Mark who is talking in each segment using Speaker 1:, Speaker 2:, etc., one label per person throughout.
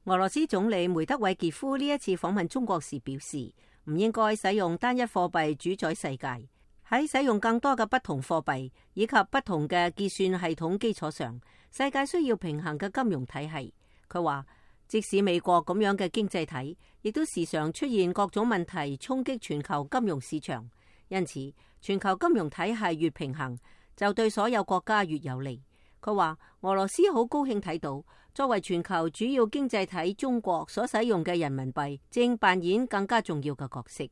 Speaker 1: 俄羅斯總理梅德韋傑夫呢一次訪問中國時表示，唔應該使用單一貨幣主宰世界，喺使用更多嘅不同貨幣以及不同嘅結算系統基礎上，世界需要平衡嘅金融體系。佢話，即使美國咁樣嘅經濟體，亦都時常出現各種問題衝擊全球金融市場，因此全球金融體系越平衡，就對所有國家越有利。佢話，俄羅斯好高興睇到，作為全球主要經濟體中國所使用嘅人民幣正扮演更加重要嘅角色。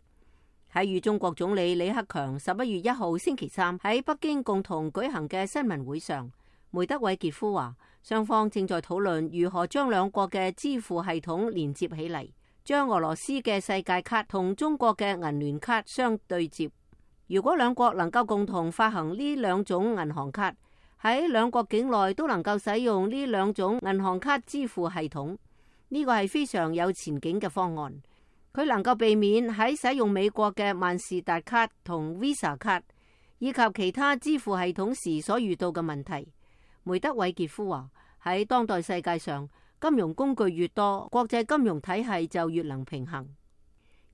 Speaker 1: 喺與中國總理李克強11月1號星期三喺北京共同舉行嘅新聞會上，梅德韋傑夫話，雙方正在討論如何將兩國嘅支付系統連接起嚟，將俄羅斯嘅世界卡同中國嘅銀聯卡相對接。如果兩國能夠共同發行呢兩種銀行卡，喺兩國境內都能夠使用呢兩種銀行卡支付系統，呢個係非常有前景嘅方案。佢能夠避免喺使用美國嘅萬事達卡同 Visa 卡以及其他支付系統時所遇到嘅問題。梅德韋傑夫話，喺當代世界上，金融工具越多，國際金融體系就越能平衡。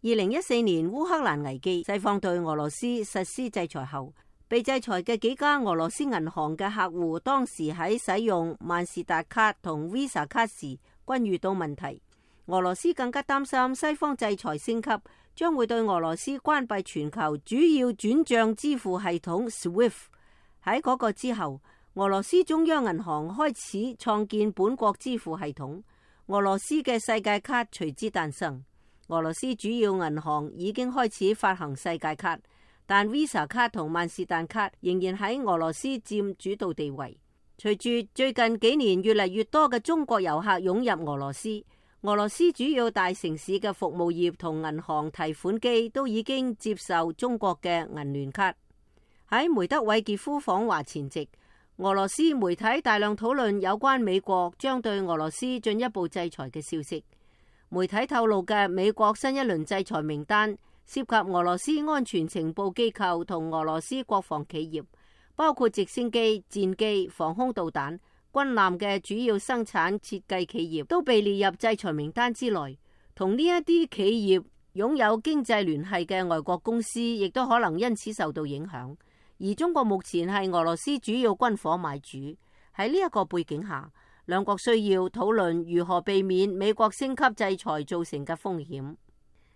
Speaker 1: 2014年烏克蘭危機，西方對俄羅斯實施制裁後，被制裁嘅幾家俄羅斯銀行嘅客戶，當時喺使用萬事達卡同 Visa 卡時均遇到問題。俄羅斯更加擔心西方制裁升級，將會對俄羅斯關閉全球主要轉賬支付系統 SWIFT。喺嗰個之後，俄羅斯中央銀行開始創建本國支付系統，俄羅斯嘅世界卡隨之誕生。俄羅斯主要銀行已經開始發行世界卡，但 Visa 卡同萬事達卡仍然喺俄羅斯佔主導地位。隨住最近幾年越嚟越多嘅中國遊客湧入俄羅斯，俄羅斯主要大城市嘅服務業同銀行提款機都已經接受中國嘅銀聯卡。喺梅德韋傑夫訪華前夕，俄羅斯媒體大量討論有關美國將對俄羅斯進一步制裁嘅消息。媒體透露嘅美國新一輪制裁名單涉及俄羅斯安全情報機構同俄羅斯國防企業，包括直升機、戰機、防空導彈、軍艦嘅主要生產設計企業都被列入制裁名單之內。同呢一啲企業擁有經濟聯繫嘅外國公司，亦都可能因此受到影響。而中國目前係俄羅斯主要軍火買主。喺呢一個背景下，兩國需要討論如何避免美國升級制裁造成嘅風險。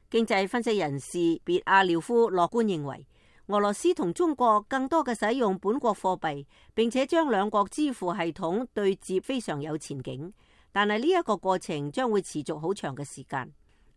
Speaker 1: 經濟分析人士別阿廖夫樂觀認為，俄羅斯同中國更多嘅使用本國貨幣，並且將兩國支付系統對接非常有前景。但係呢一個過程將會持續好長嘅時間。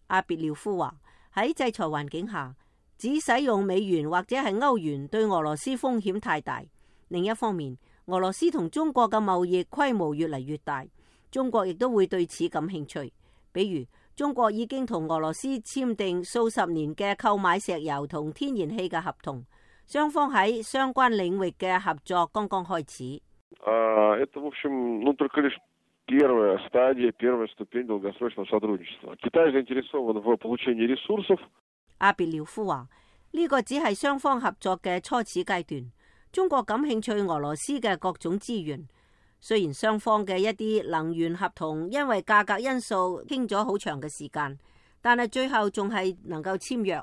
Speaker 1: 阿別廖夫話，喺制裁環境下，只使用美元或者係歐元對俄羅斯風險太大。另一方面，俄羅斯同中國嘅貿易規模越嚟越大，中國亦都會對此感興趣。比如，中國已經同俄羅斯簽訂數十年嘅購買石油同天然氣嘅合同，雙方喺相關領域嘅合作剛剛開始。阿別廖夫話，呢個只係雙方合作嘅初始階段。中國感興趣俄羅斯嘅各種資源，雖然雙方嘅一啲能源合同因為價格因素傾咗好長嘅時間，但係最後仲係能夠簽約。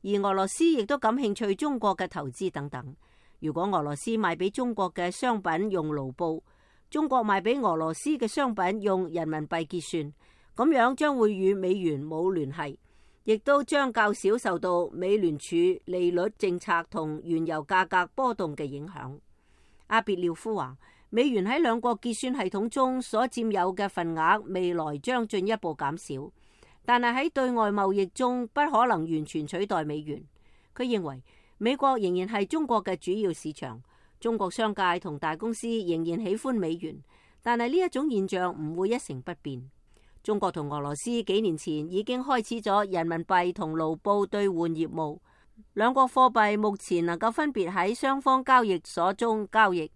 Speaker 1: 而俄羅斯亦都感興趣中國嘅投資等等。如果俄羅斯賣俾中國嘅商品用盧布，中國賣俾俄羅斯嘅商品用人民幣結算，咁樣將會與美元冇聯繫，亦都將較少受到美聯儲利率政策同原油價格波動嘅影響。阿別廖夫話，美元喺兩國結算系統中所佔有嘅份額未來將進一步減少，但係喺對外貿易中不可能完全取代美元。佢認為美國仍然係中國嘅主要市場，中國商界同大公司仍然喜歡美元，但係呢一種現象唔會一成不變。中國同俄羅斯幾年前已經開始咗人民幣同盧布兌換業務，兩國貨幣目前能夠分別喺雙方交易所中交易。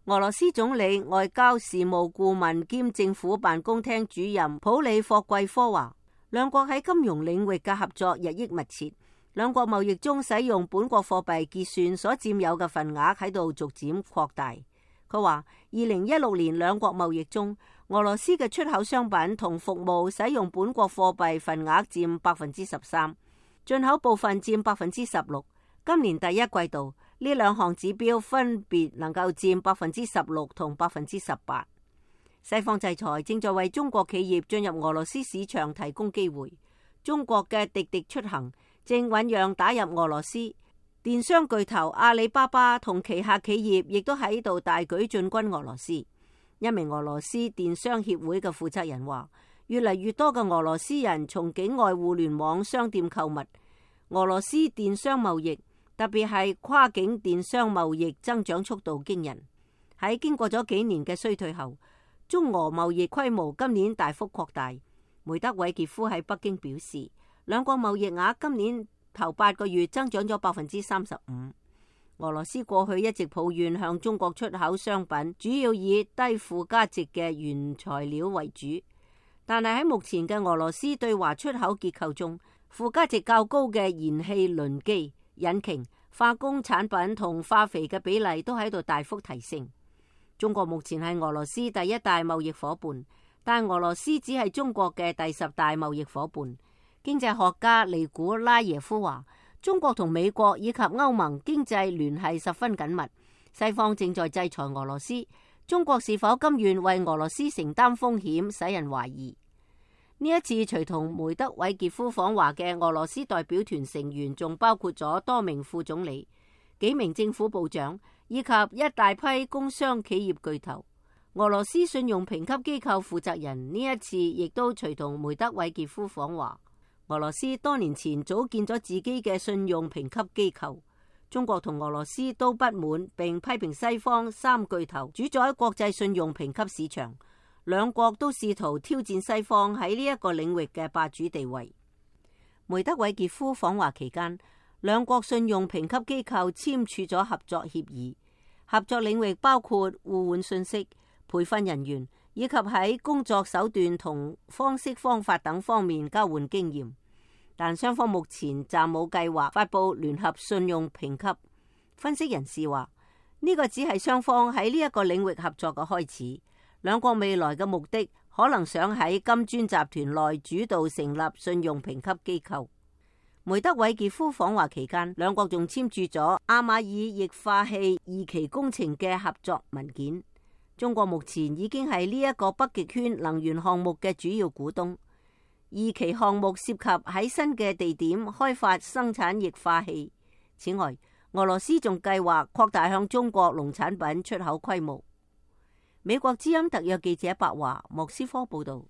Speaker 1: 俄羅斯總理外交事務顧問兼政府辦公廳主任普里霍季科話，兩國喺金融領域嘅合作日益密切，兩國貿易中使用本國貨幣結算所佔有嘅份額喺度逐漸擴大。佢話，2016年兩國貿易中，俄羅斯嘅出口商品同服務使用本國貨幣份額佔13%，進口部分佔16%。今年第一季度呢兩項指標分別能夠佔16%同18%。西方制裁正在為中國企業進入俄羅斯市場提供機會。中國嘅滴滴出行正醞釀打入俄羅斯，電商巨頭阿里巴巴同旗下企業亦都喺度大舉進軍俄羅斯。一名俄羅斯電商協會嘅負責人話，越嚟越多嘅俄羅斯人從境外互聯網商店購物。俄羅斯電商貿易，特別係跨境電商貿易增長速度驚人。喺經過咗幾年嘅衰退後，中俄貿易規模今年大幅擴大。梅德韋傑夫喺北京表示，兩國貿易額今年頭8個月增長咗35%。俄羅斯過去一直抱怨向中國出口商品主要以低附加值嘅原材料為主，但係喺目前嘅俄羅斯對華出口結構中，附加值較高嘅燃氣輪機、引擎、化工產品同化肥嘅比例都喺度大幅提升。中國目前係俄羅斯第一大貿易夥伴，但俄羅斯只係中國嘅第10大貿易夥伴。經濟學家尼古拉耶夫話，中國同美國以及歐盟經濟聯繫十分緊密，西方正在制裁俄羅斯，中國是否甘願為俄羅斯承擔風險，使人懷疑。呢一次隨同梅德韋傑夫訪華嘅俄羅斯代表團成員，仲包括咗多名副總理、幾名政府部長以及一大批工商企業巨頭。俄羅斯信用評級機構負責人呢一次亦都隨同梅德韋傑夫訪華。俄羅斯多年前組建咗自己嘅信用評級機構，中國同俄羅斯都不滿，並批評西方三巨頭主宰國際信用評級市場，兩國都試圖挑戰西方喺呢一個領域嘅霸主地位。梅德韋傑夫訪華期間，兩國信用評級機構簽署咗合作協議，合作領域包括互換信息、培訓人員以及喺工作手段同方式方法等方面交換經驗。但雙方目前暫冇計劃發佈聯合信用評級。分析人士話，呢個只係雙方喺呢一個領域合作嘅開始。兩國未來嘅目的可能想喺金磚集團內主導成立信用評級機構。梅德韋傑夫訪華期間，兩國仲簽署咗阿馬爾液化氣2期工程嘅合作文件。中國目前已經係呢一個北極圈能源項目嘅主要股東。2期項目涉及喺新嘅地點開發生產液化氣。此外，俄羅斯仲計劃擴大向中國農產品出口規模。美國之音特約記者白華莫斯科報道。